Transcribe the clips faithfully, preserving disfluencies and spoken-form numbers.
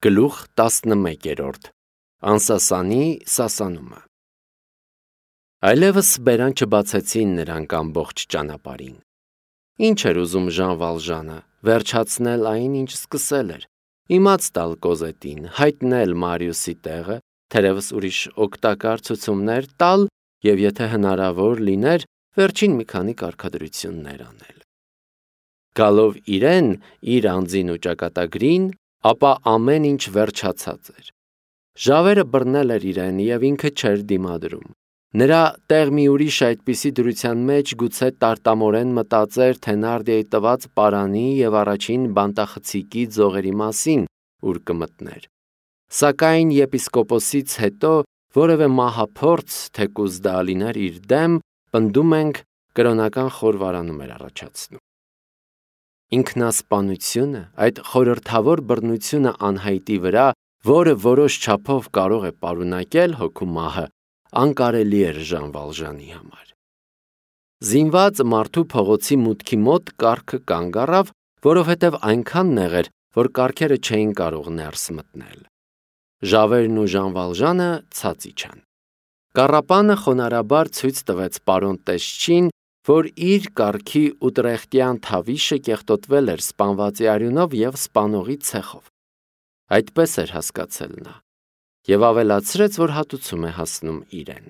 Գլուխ տասնմեկերորդ Անսասանի սասանումը Այլևս բերան չբացեցին նրանք ամբողջ ճանապարհին։ Ինչ էր ուզում Ժան Վալժանը, վերջացնել այն, ինչ սկսել էր, իմաց տալ Կոզետին, հայտնել Մարիուսի տեղը, թերևս ուրիշ օգտակար ցուցումներ տալ և եթե հնարավոր լիներ, վերջին մի քանի կարգադրություններ անել։ Գալով իրեն, իր անձին ու ճակատագրին, ապա ամեն ինչ վերջացած էր։ Ժավերը բռնել էր իրեն և ինքը չէր դիմադրում։ Նրա տեղ մի ուրիշ այդպիսի դրության մեջ գուցե տարտամորեն մտածեր Թենարդիեի տված պարանի և առաջին բանտախցիկի ձողերի մասին, ուր կմտներ։ Սակայն եպիսկոպոսից հետո որևէ մահափորձ, թեկուզ դա լիներ իր դեմ, պնդում ենք, կրոնական խորվարանում էր առաջացնում։ Ինքնասպանությունը, այդ խորհրդավոր բռնությունը անհայտի վրա, որը որոշ չափով կարող է պարունակել հոգու մահը, անկարելի էր Ժան Վալժանի համար։ Զինված մարդու փողոցի մուտքի մոտ կառքը կանգ առավ, որովհետև այնքան նեղ էր, որ կառքերը չէին կարող ներս մտնել։ Ժավերն ու Ժան Վալժանը ցած իջան։ Կառապանը խոնարհաբար ցույց տվեց պարոն Տեսչին, որ իր կառքի ուտրեխտյան թավիշը կեղտոտվել էր սպանվածի արյունով և սպանողի ցեխով։ Այդպես էր հասկացել նա, և ավելացրեց, որ հատուցում է հասնում իրեն։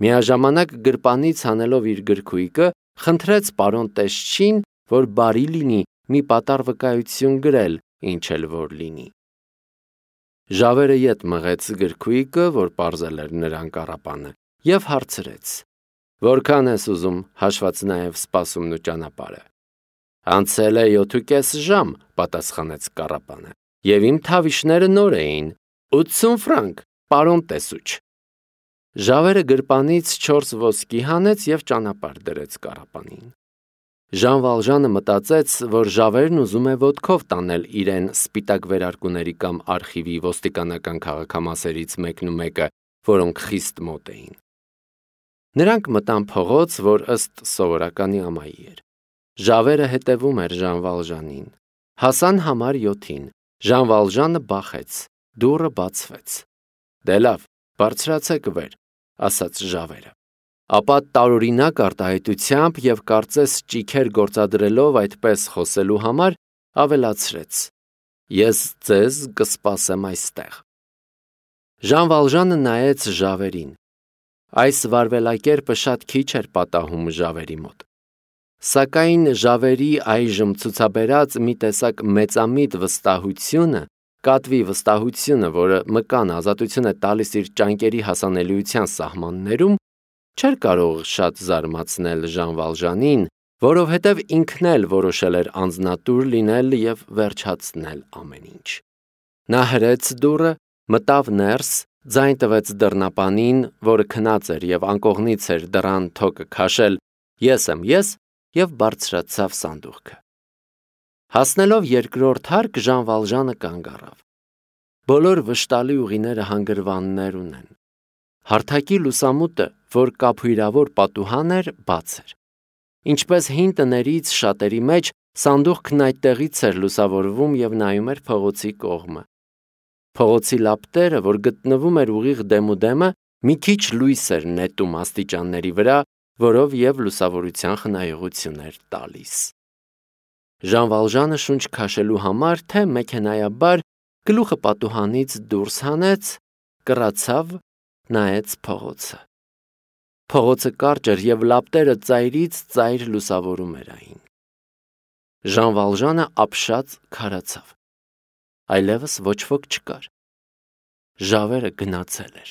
Միաժամանակ գրպանից հանելով իր գրքույկը, խնդրեց պարոն Տեսչին, որ բարի լինի մի պատառ վկայություն գրել, ինչ էլ որ լինի։ Ժավերը ետ մղեց գրքույկը, որ պարզել էր նրան կառապանը, և հարցրեց. «Որքան ես ուզում, հաշված նաև սպասումն ու ճանապարհը»։ «Անցել է յոթուկես ժամ», պատասխանեց կառապանը, «և իմ թավիշները նոր էին, ութսուն ֆրանկ, պարոն Տեսուչ»։ Ժավերը գրպանից չորս ոսկի հանեց և ճանապարհ դրեց կառապանին։ Ժան Վալժանը մտածեց, որ Ժավերն ուզում է ոտքով տանել իրեն սպիտակ վերարկուների կամ արխիվի ոստիկանական քաղաքամասերից մեկնումեկը, որոնք խիստ մոտ էին։ Նրանք մտան փողոց, որ ըստ սովորականի ամայի էր։ Ժավերը հետևում էր Ժան Վալժանին։ Հասան համար յոթին։ Ժան Վալժանը բախեց, դուռը բացվեց։ «Դե լավ, բարձրացեք վեր», ասաց Ժավերը։ Ապա տարօրինակ արտահայտությամբ և կարծես ճիգեր գործադրելով այդպես խոսելու համար, ավելացրեց. «Ես ձեզ կսպասեմ այստեղ»։ Ժան Վալժանը նայեց Ժավերին։ Այս վարվելակերպը շատ քիչ էր պատահում Ժավերի մոտ։ Սակայն Ժավերի այժմ ցուցաբերած մի տեսակ մեծամիտ վստահությունը, կատվի վստահությունը, որը մկան ազատություն է տալիս իր ճանկերի հասանելիության սահմաններում, չէր կարող շատ զարմացնել Ժան Վալժանին, որովհետև ինքն էլ որոշել էր անձնատուր լինել և վերջացնել ամեն ինչ։ Նա հրեց դուռը, մտավ ներս, ձայն տվեց դռնապանին, որը քնած էր և անկողնից էր դռան թոկը քաշել. «Ես եմ ես» և բարձրացավ սանդուղքը։ Հասնելով երկրորդ հարկ, Ժան Վալժանը կանգ առավ։ Բոլոր վշտալի ուղիները հանգրվաններ ունեն։ Հարթակի լուսամուտը, որ կափույրավոր պատուհան էր, բաց էր։ Ինչպես հին տներից շատերի մեջ, սանդուղքն այդտեղից էր լուսավորվում և նայում էր փողոցի կողմը։ Փողոցի լապտերը, որ գտնվում էր ուղիղ դեմուդեմը, մի քիչ լույս էր նետում աստիճանների վրա, որով և լուսավորության խնայողություն էր տալիս։ Ժան Վալժանը շունչ քաշելու համար, թե մեքենայաբար, գլուխը պատուհանից դուրս հանեց, կռացավ, նայեց փողոցը։ Փողոցը կարճ էր և լապտերը ծայրից ծայր լուսավորում էր այն։ Ժան Վալժանը ապշած քարացավ։ Այլևս ոչ ոք չկար։ Ժավերը գնացել էր։